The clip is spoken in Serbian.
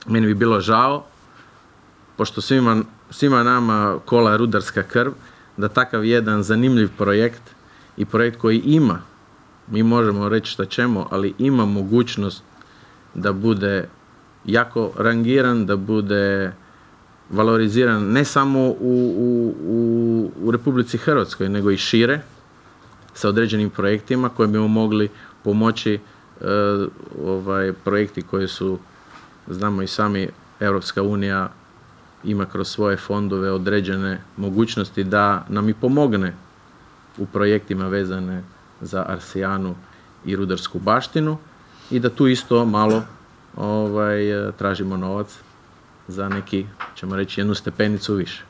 meni bi bilo žao, pošto svima nama kola rudarska krv, da takav jedan zanimljiv projekt i projekt koji ima, mi možemo reći šta ćemo, ali ima mogućnost da bude jako rangiran, da bude valoriziran ne samo u Republici Hrvatskoj, nego i šire, sa određenim projektima koje bi mu mogli pomoći, projekti koji su, znamo i sami, Europska unija ima kroz svoje fondove određene mogućnosti da nam i pomogne u projektima vezane za arsijanu i rudarsku baštinu i da tu isto malo tražimo novac za neki, ćemo reći, jednu stepenicu više.